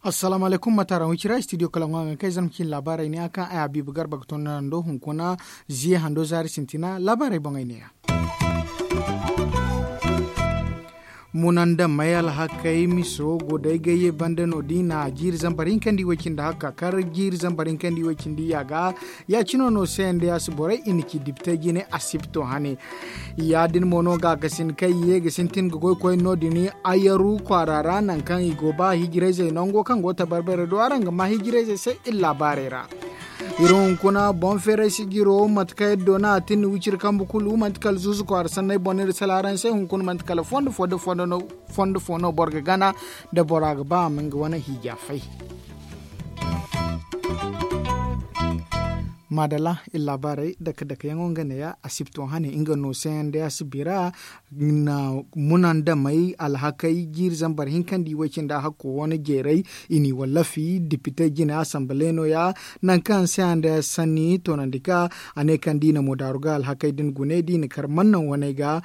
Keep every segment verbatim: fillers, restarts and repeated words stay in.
Assalaamu alaykum, mataara wicira studio kalaŋo a ga kay zama cin laabaarey ne a kaŋ ay habiibu garba ga tonda nando hunkuna ziye hando zaari sintina laabaarey boŋey ne ya. Munandamey alhakey miso go day gayye banda no da i na jiiri zambar hinka nda i way cindi hakka kar jiiri zambar hinka nda i way cindi yaaga. Ya- cino no se nda ya si borey i na ci dipitey jine asibto hane. Ya- din mo no gaakasin kaŋ i ye ga sintin ga goy koyne no- din ayaru kwaara ra nangu kaŋ i go ba hijirayzey nango kaŋ go tabarbarey do araŋ ga ma hijirayzey se iri laabaarey ra. Iri hunkuna boŋ feeray sijiro mate kaŋ iri doona a tin wiciri kambe kulu manti kala zuuzu kwaara sanney boŋ no iri sala araŋ se hunkuna manti kala fondo fo da fondo no boro ga gana da bora ga ba a ma nga wane hiija fay. Maadalla iri laabaarey dake dake yaŋo nga neeya asibto hane nga no se yaŋ day a si bira. Na munandamey alhakey jiiri zambar hinka nda i way cindi a hakko wane jeeray i n'i wallafi dipitey jine asamble nooya. Nangu kaŋ se a nda sanni toonandi ka a ne kaŋ da i na mo daaru ga alhakey din gune da i na kar mannaŋ waney ga.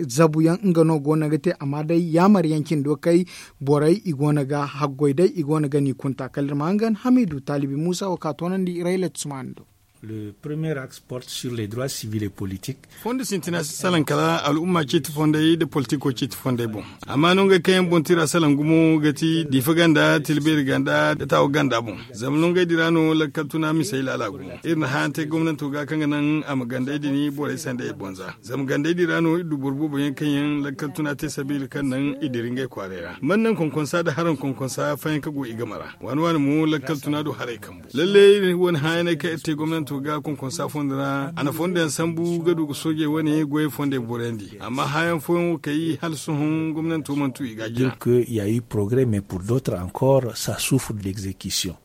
Zabuyaŋ nga no go no ga te amma day yaamar yaŋ cindo kay borey i go no ga haggoy day i go no ga n'i kunta kala iri ma hangan hamiidu taalibi muusa wo ka toonandi rayla tusmaani do. Le premier axe porte sur les droits civils et politiques. Fondo sintina si salaŋ kala al'umma ceeti fondey nda politiko ceeti fondey boŋ. Amma no ngey kaŋ yaŋ boŋ tira salaŋ gumo ga ti diifa ganda tilbeeri ganda nda taawa ganda boŋ. Zama no ngey dira no lakkal tuna misey laala gumo iri na hã yaŋ te gomnanto ga kaŋ ga naŋ a ma gandey din borey sanday i bonza. Zama gandey din ra no iri du boro boobo yaŋ kaŋ yaŋ lakkal tuna te sabiila kaŋ naŋ i dira ngey kwaaray ra man naŋ konkonsa nda haraŋ konkonsa fayanka go i game ra. Waani waani mo lakkal tuna do haray kambu lalle iri wane hãyaney kaŋ iri te gomnanto ga konkonsa fondo ra a na fondo yaŋ sambu ga du ga soojey wane goyey fondey boroyandi amma hãyaŋ fooyaŋ wo kay hala sohõ gomnanto mana tu i ga jina. Dire que il y a eu progrès mais pour d'autres encore ça souffre d'exécution.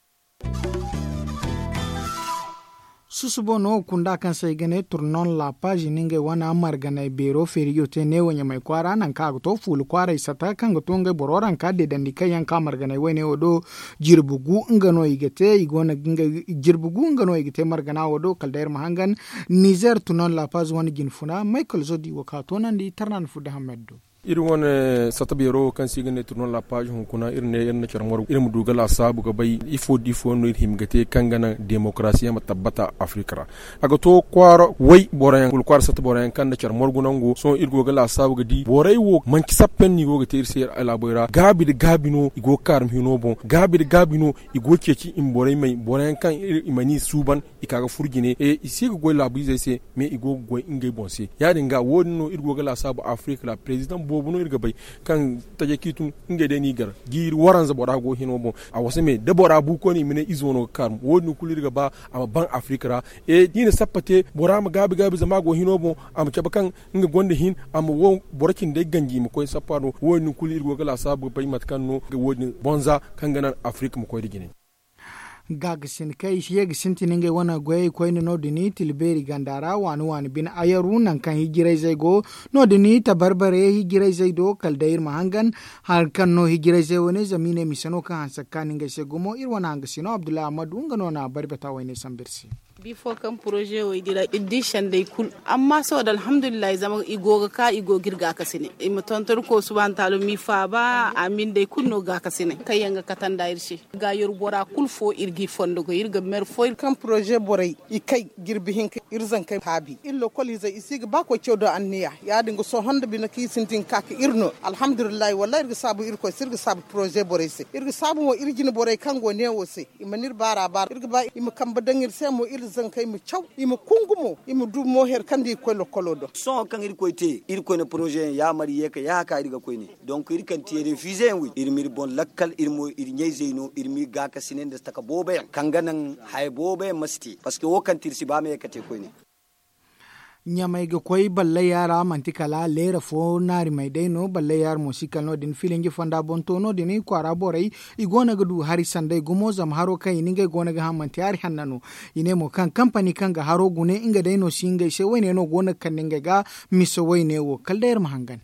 Susubo no kunda kaŋ se ay ga ne turnon la page ni ngey wane marganay beero feerijo te neewo ɲamay kwaara nangu kaŋ a ga to fuula kwaaray sata kaŋ ga to ngey boro ranka deedandi kaŋ yaŋ ka marganay wayne wo do. Jirbi gu nga no i ga te i go no ga ngey jirbi gu nga no i ga te margana wo do kala day iri ma hangan. Nizer turnon la page wane jine funa maykal zodi wo ka toonandi tarnan fudda hammad do. Iri wane sata beero wo kaŋ se i ga ne turnon la page hunkuna iri ne iri na care margu iri ma du ga laasaabu ga bay ifo da ifo no iri hima ga te kaŋ ga naŋ demokarasiya ma tabbata afirika ra. A ga to kwaara way boro yaŋ wala kwaara sata boro yaŋ kaŋ na care margu nango sohõ iri go ga laasaabu ga di borey wo manci sappa yaŋ no i go ga te iri se iri alaaboy ra gaabi nda gaabi no i go ga kaarmi hino boŋ gaabi nda gaabi no i go ga ceeci i ma borey may boro yaŋ kaŋ i mana i suuban i ka ga furu jine i si ga goy laabu izey se. Mais i go ga goy ngey boŋ se ya- din ga wo- din no iri go ga laasaabu afirika ra president boobo no iri ga bay kaŋ taje kaŋ i tun ngey day no i gar jiiri waranza bora go hino boŋ. A wasa me da bora bu koyne i ma ne izo no ga kaarum wo- din kulu iri ga ba a ma ban afirika ra. Da i na sappa te bora ma gaabi gaabi zama a go hino boŋ a ma cabe kaŋ nga gonda hin a ma wo boro cindey ganji i ma koy sappa no wo- din kulu iri go ga laasaabu ga bay mate kaŋ no wo- din bonza kaŋ ga naŋ afirika ma koy nda jine. Gaagasin kaŋ i ye ga sintin ngey wane goyey koyne no- din tilbeeri ganda ra waani waani bine ayaru nangu kaŋ hijirayzey go no- din tabarbare hijirayzey do kala day iri ma hangan. Hari kaŋ no hijirayzey wane zama i ne mise no kaŋ hanse ga kaanu ngey se gumo iri wane hangasino abdullahi ahamadu nga no na bari bata wayne sambu iri se. Bifo kaŋ poroze wo i dira iri di sendey kulu amma sohõ da alhamdulillahi zama i go ga ka i go ga iri gaakasine i ma tonton ko subahana taalo m'i faaba a ma iri nd'ey kulu no gaakasine kaŋ yaŋ ga katanda iri se. Ga yaru bora kulu fo iri g'i fondo goy iri ga mer fo. Kaŋ poroze borey i kay jirbi hinka iri zankey haabi iri lokol izey i si ga ba koy caw do anniya ya- din ga sohõ nda bine kaŋ i sintin ga ka ka iri no alhamdulillahi wallahi iri ga saabu irkoy se iri ga saabu poroze borey se iri ga saabu mo iri jine borey kaŋ go neewo se. I mana iri baara baara iri ga ba i ma kambe daŋ iri se mo iri zankey ma caw i ma kungu mo i ma du mo here kaŋ da i ga koy lokolo do. Sohõ kaŋ irkoy te irkoy na poroze yaŋ yaamar i ye ka yaaka iri ga koyne. Donk iri kaŋ ti refize yaŋ wo iri ma iri boŋ lakkal iri mo iri ɲayzey no iri ma iri gaakasinay nda taka boobo yaŋ kaŋ ga naŋ haya boobo yaŋ ma si te parceque wo kaŋ ti iri si ba ma ye ka te koyne. Ɲamay ga koy ballaya ra manti kala leera fo naarimey day no ballaya ra mo si kala no- din filinji fonda boŋ to no- din kwaara borey i go no ga du hari sanday gumo zama haro kaŋ i na ngey go no ga haŋ manti hari hanna no. I ne mo kaŋ kampani kaŋ ga haro gune nga day no si ngey se wayne no go no ga kande ngey ga mise wayne wo kala day iri ma hangan.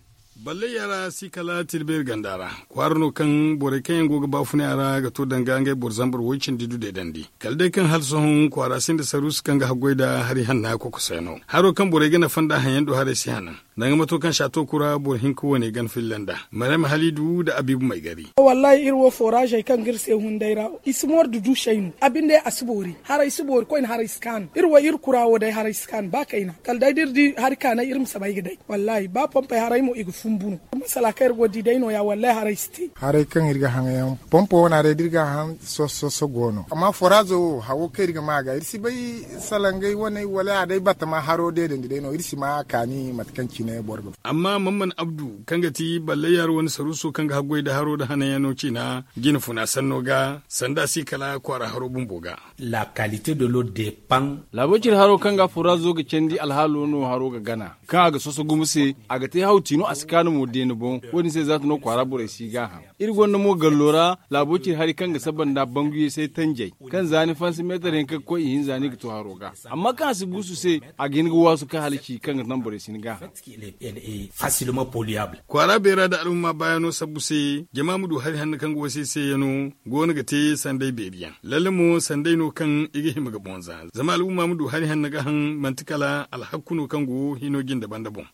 Balley yaŋ ra si kala tilbeeri ganda ra. Kwaara no kaŋ borey kaŋ yaŋ go ga baafunay a ra ga to danga ngey boro zambar woy cindi du deedandi kala day kaŋ hala sohõ kwaara sinda saruusu kaŋ ga haggoy nda hari hanna kokoso yaŋ no. Haro kaŋ borey ga nafa nda haŋ yaŋ do haray si hanan. Danga mato kaŋ saato kura boro hinka wane gana filla nda maryam haliidu nda abiibu maygari. Wallaahi iri wo fooraazey kaŋ ga iri se hunday ra i si moori da duusey no a binde a si boori haray si boori koyne haray si kaanu iri wo iri kura wo day haray si kaanu ba kayna kala day da iri di hari kaanay iri ma si bay ga day. Wallaahi ba pompey haray mo i ga fumbu no. Masala kaŋ iri go ga di day no- ya wallaahi haray si te. Haray kaŋ iri ga haŋ yaŋ pompo wane haray da iri ga a haŋ soso soso go no amma foraazo wo hawo kaŋ iri ga ma a ga iri si bay. Salangey wane wala a day batama haro deedandi day no iri si ma a kaani mate kaŋ cine boro ga. Amma mamman abdu kaŋ ga ti balley yaŋ ra wane saruuso kaŋ ga haggoy nda haro nda hananyaŋ no ciina jina funa sanno ga sanda si kala kwaara haro bumbo ga. Laabo cire haro kaŋ ga furaazo ga candi alhaalo no haro ga gana kaŋ a ga soso gumo se a ga te haw tiino a si kaanu mo deene boŋ. Wo- din se zaata no kwaara borey si gaaham. Iri gonda mo gallo ra laabo cire hari kaŋ ga saba nda banguyey se tanjey kaŋ za ni fansi meetar hinka ga koy ihinza ni ga to haro ga. Amma kaŋ a si guusu se a ga hin ga waasu kaŋ hala ci kaŋ ga naŋ borey si ni gaaham. Kwaara beera nda alhumma baayaŋo sabbu se jama ma du hari hanno kaŋ ga wasa i se yaŋo go no ga te sanday beeri yaŋ lalle mo sanday no kaŋ i ga hima ga boŋ za zama alhumma ma du hari hanno ga haŋ manti kala alhakku no kaŋ go hino jinde banda boŋ.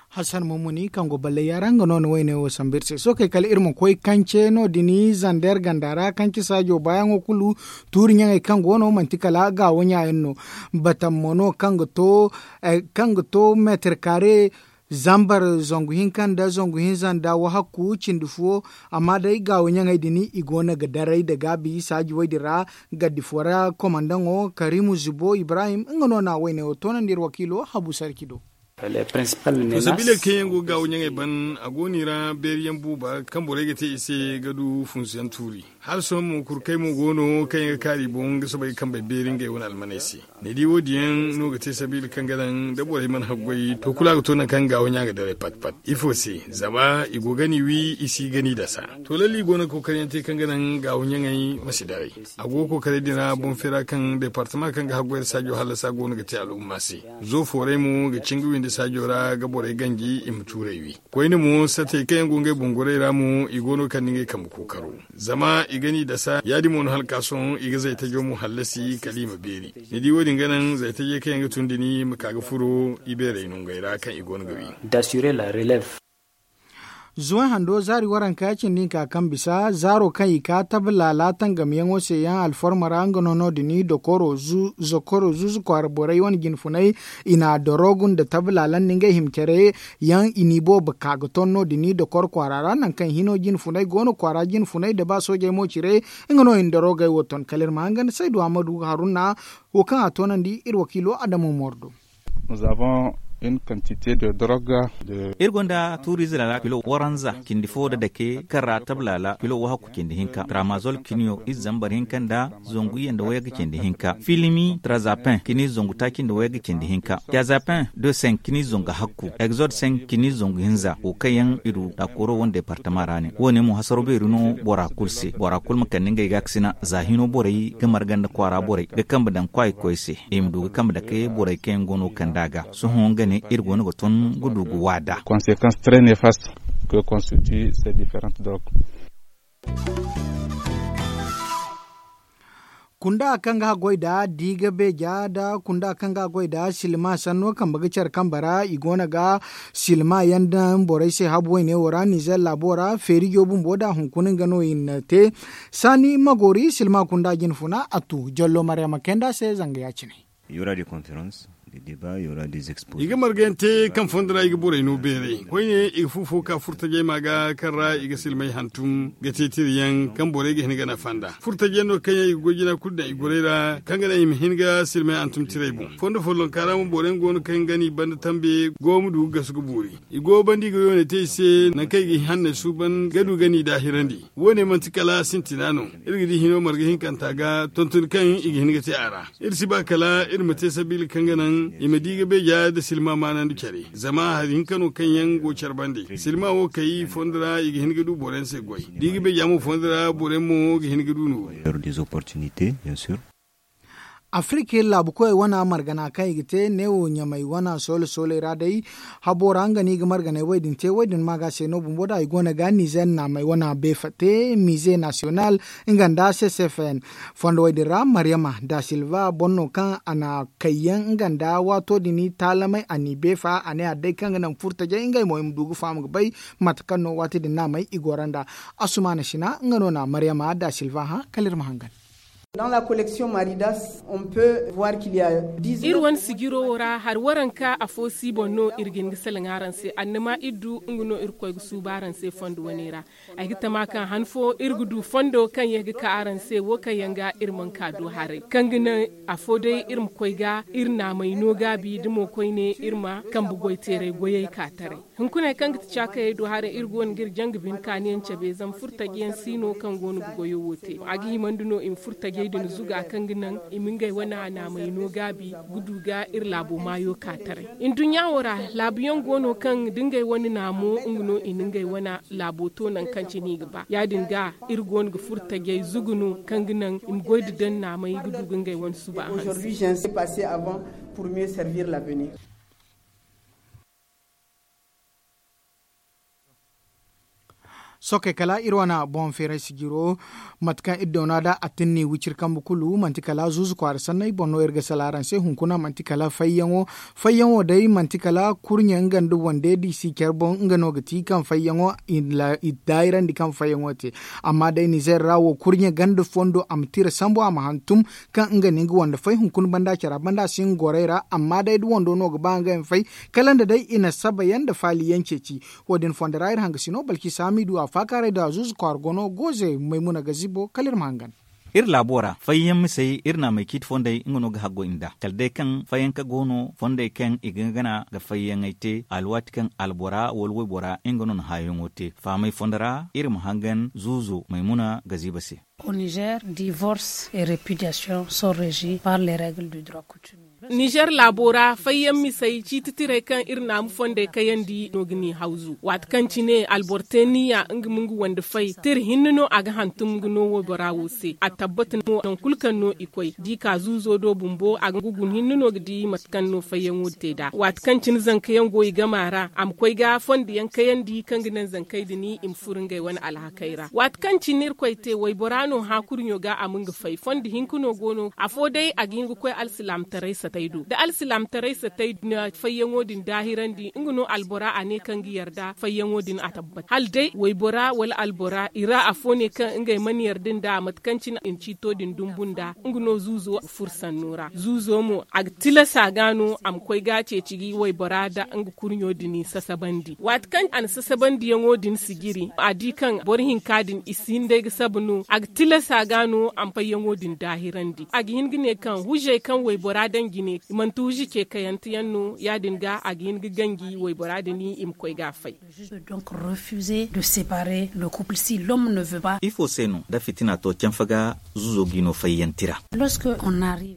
Hassan mummuni kaŋ go ballay yaara nga no na wayne wo sambu iri se sookey kala iri ma koy kance no- din zander ganda ra kance saajo baayaŋo kulu tuuri ɲaŋey kaŋ go no manti kala gaawo ɲa yaŋ no. Batam mo no kaŋ ga to meetar kaare zambar zangu hinka nda zangu hinza nda wahakku cindi fo. Amma day gaawo ɲaŋey din i go no ga daray nda gaabi saaji wo- din ra. Gaddi fo ra komandaŋo karimu zubo ibrahim nga no na wayne wo toonandi iri wakiilo habu sarki do. Sabiiley kaŋ yaŋ go ga gaawo ɲaŋey ban a go no i ra beeri yaŋ buuba kaŋ borey ga te i se ga du funsu yaŋ tuuri. Hala sohõ mo kurkey mo go no kaŋ yaŋ ga kaaru i boŋ ga soobay ga kambey beeri ngey wane almaney se. Ni di wo- din yaŋ no ga te sabiila kaŋ ga naŋ da borey mana haggoy to kulu a ga to nangu kaŋ gaawo ɲa ga daray pat pat ifo se? Zama i go gani wi i si gani dasa. To lalle i go no ga kookari yaŋ te kaŋ ga naŋ gaawo ɲaŋey ma si daray. A go ga kookaray din ra boŋ feera kaŋ departama kaŋ ga haggoy nda saajo hallasa go no ga te al'umma se. Zo fooray mo ga cin ga windi saajo ra ga borey ganji i ma tuuray wi. Koyne mo satey kaŋ yaŋ go ngey boŋ goray ra mo i go no ga kande ngey kambe kookaro. Zama i ga ni dasa ya- din mo no hala ga ka sohõ i ga zaytajo mo hallasi kala i ma beeri. Ni di wo- din ga naŋ zaytajey kaŋ yaŋ ga tun da ni ma ka ga furo i beerey nongey ra kaŋ i go no ga wi. Zuwan hando zaari waranka cindi hinka kaŋ bisa zaaro kaŋ i ka tabilaala tangamyaŋo se yaŋ alforma ra nga no no- din dokoro zokoro zuzu kwaara borey wane jinfunay. I na dorogu nda tabilaala nda ngey hima care yaŋ i n'i boobo ka ga ton no- din dokoro kwaara ra nangu kaŋ hino jinfunay go no kwaara jinfunay nda ba soojey mo cire. Nga no i na dorogey wo ton kala iri ma hanga nda saydu ammadu haruna wo kaŋ a toonandi iri wakiilo adama mooro do. Iri gonda tuuriize laala kilo waranza cindi fo nda dake kaŋ ra tabilaala kilo wahakku cindi hinka tramazol kiniyo ize zambar hinka nda zangu iyye nda wayagga cindi hinka filimi trazapin kini zangu taaci nda wayagga cindi hinka trazapin de cinq kini zangu hakku exode cinq kini zangu hinza wo kaŋ yaŋ i du daakoro wane departama ra ne wo- ne mo hasaro beeri no bora kulu se bora kulu ma kande ngey gaakasina za hino borey ga marga nda kwaara borey ga kambe daŋ kwaayikoy se i ma du ga kambe dake borey kaŋ yaŋ go no ga kande a ga sohõ nga ne iri go no ga ton ga du ga waada. Conséquence très néfaste que constitue ces différentes drogues. Kunda kaŋ ga goy da diiga beeja nda kunda kaŋ ga goy da silma sanno kambe ga care kambe ra i go no ga silma yaŋ daŋ borey se habu wayne wo ra nizer laabo ra feerijo bumbo nda hunkuna nga no i na te. Saani magoori silma kunda jinfuna a tu jallo maryama kayanda se zanga ya- cine. I ga marga yaŋ te kaŋ fondo ra i ga borey no beeray koyne i ga fu fo ka furtajey ma ga kaŋ ra i ga silmey hantum ga te tira yaŋ kaŋ borey ga hin ga nafa nda furtajey no kaŋ yaŋ i ga goy jina kulu daŋ i gorey ra kaŋ ga naŋ i ma hin ga silmey hantum tirey boŋ fondo follonka ra mo boro yaŋ go no kaŋ ga no i banda tambe go ma du ga gasu ga boori. I go banda i ga yoone te i se nangu kaŋ i ga hanney suuban ga du ga no i daahirandi. Wo- ne manti kala sintina no. Iri ga di hino marga hinkanta ga tontoni kaŋ i ga hin ga te a ra. Iri si ba kala iri ma te sabiila kaŋ ga naŋ i ma di ga beeja nda silma maanandi care zama hari hinka no kaŋ yaŋ go care bande silma wo kay fondo ra i ga hin ga du boro yaŋ se goy da i ga beeja mo fondo ra boro yaŋ mo ga hin ga du noori. Afirika iri laabu koyey wana margana kaŋ i ga te neewo ɲamay wana soole sooley ra day. Habo ra nga no i ga marganey wo- din te wo- din ma ga se no bumbo da i go no ga nizer naamey wana beefa te mize nasiyonal nga nda ccfn. Fondo wo- din ra maryama da silva boro no kaŋ a na kayyaŋ nga nda waato din taalamey a n'i beefa a ne a day kaŋ ga naŋ furtajey ngey mo i ma du ga faham ga bay mate kaŋ no waati din naamey i goro nd'a. Asumaana sina nga no na maryama da silva hã kala iri ma hangan. Iri wane sijiro wo ra hari waranka afo si boŋ no iri ga hin ga salaŋ araŋ se annama iri du nga no irkoy ga suuba araŋ se fondo wane ra. Ay ga tama kaŋ han fo iri ga du fondo kaŋ ye ga ka araŋ se wo kaŋ yaŋ ga iri mana ka du haray kaŋ ga naŋ afo day iri ma koy ga iri naamay no gaabi da mo koyne iri ma kambe goyteeray goyey ka taray. Hunkuney kaŋ ga ti caakayey do haray iri go no ga iri jaŋ ga bine kaaniyaŋ cabe zama furtajiyaŋ si no kaŋ go no ga goyo wo te a ga himandi no i ma furtajey din zuga kaŋ ga naŋ i ma ngey wane naamay no gaabi ga du ga iri laabo maayo ka taray. Nduɲɲa wo ra laabuyaŋ go no kaŋ da ngey wane naamo nga no i na ngey wane laabo to nangu kaŋ cine i ga ba ya- din ga iri go no ga furtajey zugu no kaŋ ga naŋ i ma goy nda daŋ naamay ga du ga ngey wane suba hanse. Sookey kala iri wane boŋ feeray sijiro mate kaŋ iri doona nd'a a tinni wiciri kambe kulu manti kala zuuzu kwaara sanney boŋ no iri ga sala araŋ se hunkuna manti kala fayyaŋo. Fayyaŋo day manti kala kurɲe nga nda wande da i si care boŋ nga no ga ti kaŋ fayyaŋo i daayirandi kaŋ fayyaŋo te. Amma day nizer ra wo kurɲe ganda fondo a ma tira sambu a ma hantum kaŋ nga no nga wande fay hunkuna banda care a banda si nga gorey ra amma day da wando no ga ba ngey ma fay kala nda day i na saba yaŋ nda faali yaŋ ceeci. Wo- din fondo ra iri hanga sino balki saamidu a faakaaray da zuuzu kwaara gono gooze maymuna ga zibo kala iri ma hangan. Iri laabo ra fayyaŋ misey iri naamey ciiti fondey nga no ga haggoy nda kala day kaŋ fayyaŋ ka go no fondey kaŋ i ga gana ga fayyaŋey te alwaati kaŋ albora wala waybora nga no na haayaŋo te faamay fondo ra iri ma hangan zuuzo maymuna ga ziba se. Au niger divorce et repudiation sont regies par les règles du droit coutumier. Nizer laabo ra fayyaŋ misey ciiti tirey kaŋ iri naamu fondey kayandi no ga ni hawzu waati kaŋ cine alboro te niya nga ma nga wande fay tira hinne no a ga hantum nga no waybora wo se a tabbata mo nangu kulu kaŋ no i koy da i ka zuuzo do bumbo a ga guna hinne no ga di mate kaŋ no fayyaŋo te nd'a waati kaŋ cine zankayaŋ go i gama ra a ma koy ga fondo yaŋ kayandi kaŋ ga naŋ zankey din i ma furo ngey wane alhakey ra waati kaŋ cine irkoy te waybora no hã kurɲo ga a ma nga fay fondo hinka no go no afo day a ga hin ga koy alsilaamataray satay do da alsilaamataray satay na fayyaŋo din daahirandi nga no albora a ne kaŋ ga yarda fayyaŋo din a tabbat hala day waybora wala albora i ra afo ne kaŋ ngey mana yarda nd'a mate kaŋ cine i na ciito din dumbu nd'a nga no zuuzo ga furo sanno ra zuuzo mo a ga tilasa ga no a ma koy ga a ceeci ga waybora nda nga kurɲo din sasabandi waati kaŋ a na sasabandiyaŋo din sijiri a di kaŋ boro hinka din i si hin day ga saba no a ga tilasa ga no a ma fayyaŋo din daahirandi a ga hin ga ne kaŋ hujey kaŋ waybora daŋ jine i manti huji ce kayante yaŋ no ya- din ga a ga hin ga ganji waybora din i ma koy ga a fay. Donc refuser de séparer le couple si l'homme ne veut pas. Ifo se no da fitina to canfa ga zuzo ga i no fayyanti ra?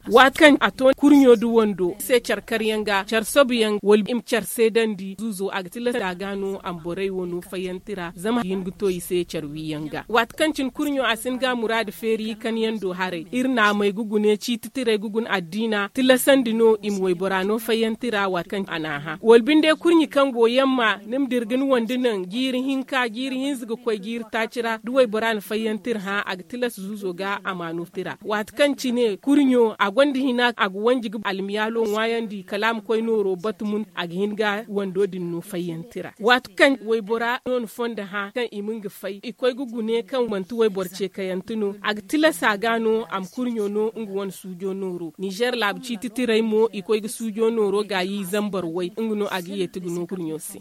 Waati kaŋ a to kurɲo da wando se care karyaŋ ga care sobuyaŋ wala i ma care seedandi zuzo a ga tilasta ga no a ma borey wo no fayyanti ra zama a ga hin ga to i se care wiyaŋ ga waati kaŋ cine kurɲo a si hin ga a muraadu feeri kanyaŋ do haray iri naamey ga gune ciiti tirey ga guna addiina tilasandi no i ma waybora no fayyanti ra waati kaŋ a n'a hã wala binde kurɲi kaŋ go yamma ni ma dira ga ni wande naŋ jiiri hinka jiiri hinza ga koy jiiri taaci ra da waybora na fayyanti iri hã a ga tilas zuuzo ga a ma no tira waati kaŋ cine kurɲo a gonda hina a ga wanji ga almiyaalo ŋwaayandi kala a ma koy nooro batu mun a ga hin ga wando din no fayyanti ra waati kaŋ waybora no na fondo hã kaŋ i ma nga fay i koy ga gune kaŋ manti wayboro ce kayante no a ga tilasa ga no a ma kurɲo no nga wane suujo nooro nizer laabu ciiti tirey mo i koy ga suujo nooro gaayi zambar way nga no a ga yeeti ga no kurɲo se.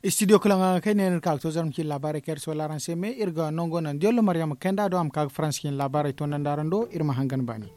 Studio kulaŋ ga kay ne no iri ka ga to zarma cine laabaarey kaŋ iri si wala araŋ se me iri ga nango naŋ diyollo maryama kayanda do a ma ka ga faransa cine laabaarey to naŋ da araŋ do iri ma hangan baani.